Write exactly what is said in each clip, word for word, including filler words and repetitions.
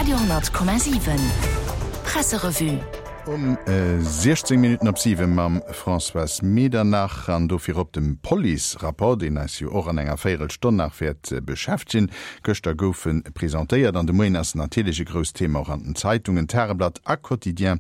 Radio honnert Komma siwen Presserevue. Um siechzéng Minutten op siwe mam Françoise Medernach an do virop dem Police-Rapport, deen eis jo och an enger Véierelstonn nach wäert beschäftegen. Gëschter gouf e presentéiert an de Moien ass natierlech e grousst Thema och an den Zeitungen. Tageblatt a Quotidien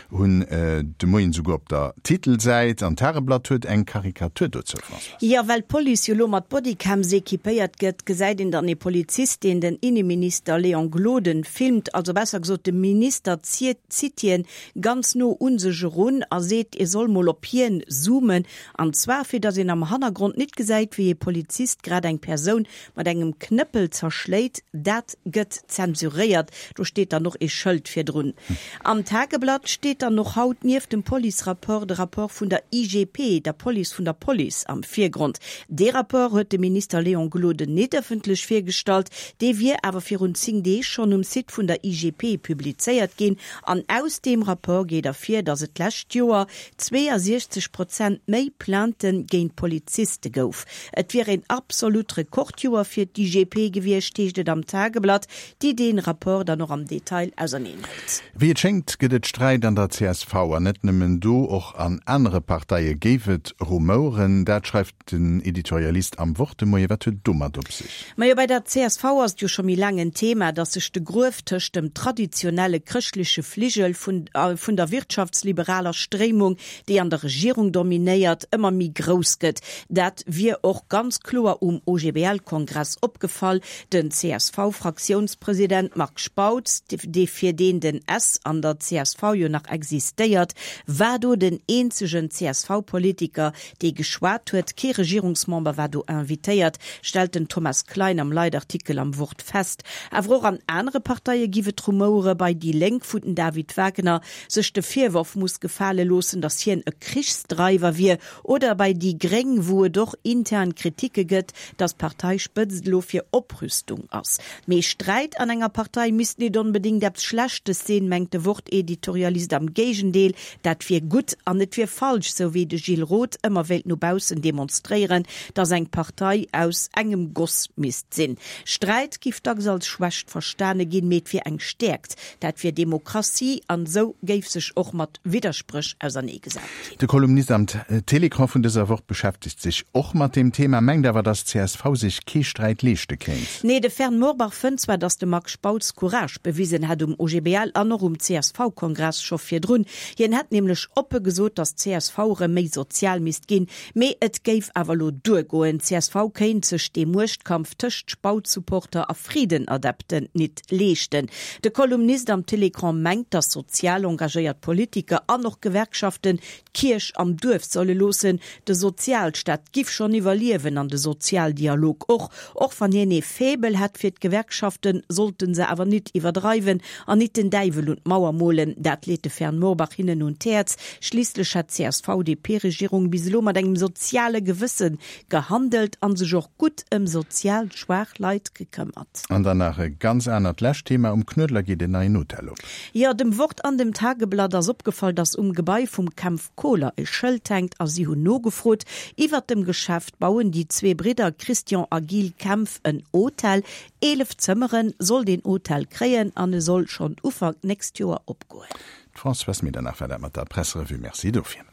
hunn de Moien souguer op der Titelsäit an d'Tageblatt huet eng Karikatur dozou, Françoise. Jo, well d'Police jo lo mat Bodycams equipéiert gëtt, gesäit een dann ee Polizist, deen den Inneminister Léon Gloden filmt, also besser gesot de Minister zitt hien ganz no un sech erun a seet, e soll mol op hien zoomen, an zwar fir datt een am Hannergrond nit gesäit, wéi ee Polizist grad eng Persoun mat engem Knëppel zerschléit. Dat gëtt zensuréiert, do steet dann och ee Schëld virdrun. Am Tageblatt steet dann och haut nieft dem Police-Rapport de Rapport vun der I G P, der Police vun der Police, am Virgrond. Dee Rapport huet de Minister Léon Gloden nit ëffentlech virgestallt, dee wier awer virun zéng Deeg schonn um Site vun der I G P publizéiert ginn. An aus deem Rapport geet ervir, datt et d'lescht Joer zweeënsiechzeg Prozent méi Plaintë géint Poliziste gouf. Et wier een absolut Rekordjoer fir d'I G P gewiescht, heescht et am Tageblatt, déi dee Rapport dann och am Detail auserneen hëlt. Wéi et schéngt, gëtt et Sträit an der C S V, an net nëmmen do, och an anere Parteie géif et Rumouren. Dat schreift den Editorialist am Wort de Moien. Wat huet et domat op sech? Majo, bei der C S V ass et jo scho méi laang en Thema, datt sech de Gruef tëscht dem traditionelle chrëschtleche Fligel vun vun der wirtschaftsliberaler Stréimung, déi an der Regierung dominéiert, ëmmer méi grouss gëtt. Dat wier och ganz kloer um O G B L-Kongress opgefall. Den C S V-Fraktiounspresident Marc Spautz, dee fir deen den S an der C S V jo nach existéiert, war do den eenzegen C S V-Politiker, dee geschwat huet. Kee Regierungsmember war do invitéiert, stellt den Thomas Klein am Leitartikel am Wort fest. Awer och an anere Parteie giff et Rumouere, bei déi Lénk, wou den David Wagner sech de Virworf muss gefale loossen, datt hien e Krichsdreiwer wier, oder bei déi Gréng, wou et och intern Kritike gëtt, datt d'Parteispëtzt elo fir Oprüstung ass. Mee Sträit an enger Partei misst nit onbedéngt eppes Schlechtes sinn, mengt de Wort-Editorialist. Am Géigendeel, dat wier gutt an et wier falsch, sou wéi de Gilles Roth ëmmer wéilt no baussen demonstréieren, datt eng Partei aus engem Goss misst sinn. Sträit giff dacks als Schwächt verstane ginn, mee et wier eng Stäerkt. Dat wier Demokratie an esou géif sech och mat Widderspréch auserneegesat ginn. De Kolumnist am Télécran vun dëser Woch beschäftegt sech och mat deem Thema, mengt awer, datt C S V sech kee Sträit leeschte kéint. Nee, de Fern Morbach fënnt zwar, datt de Marc Spautz Courage bewisen hätt um O G B L an och um C S V-Kongress scho virdrun. Hien hätt nämlech oppe gesot, datt C S V erëm méi sozial misst ginn, mee et géif awer elo duergoen. C S V kéint sech dee Muechtkampf tëscht Spautz-Supporter a Friedenadepten nit leeschten. De Kolumnist am Télécran mengt, datt sozial engagéiert Politiker an och Gewerkschaften d'Kierch am Duerf solle loossen. De Sozialstaat giff schonn iwwerliewen an de Sozialdialog och. Och wann hien ee Faible hätt fir d'Gewerkschaften, sollten se awer nit iwwerdreiwen an nit den Däiwel un d'Mauer molen. Dat leet de Fern Morbach hinnen un d'Häerz. Schliisslech hätt d'C S V D P-Regierung bis elo mat engem soziale Gewësse gehandelt an sech och gutt ëm sozial schwaach Leit gekëmmert. An dann nach e ganz anert lescht Thema, Um Knuedler geet en neien Hotel op. Jo, dem Wort an dem Tageblatt ass opgefall, datt um Gebai vum Kempf Kohler e Schëld hänkt a si hunn nogefrot. Iwwert dem Geschäft bauen déi zwee Bridder Christian a Gilles Kempf en Hotel. Eelef Zëmmere soll deen Hotel kréien an e soll schonn Ufank nächst Joer opgoen. D'Françoise Medernach war dat mat der Presserevue. Merci dofir.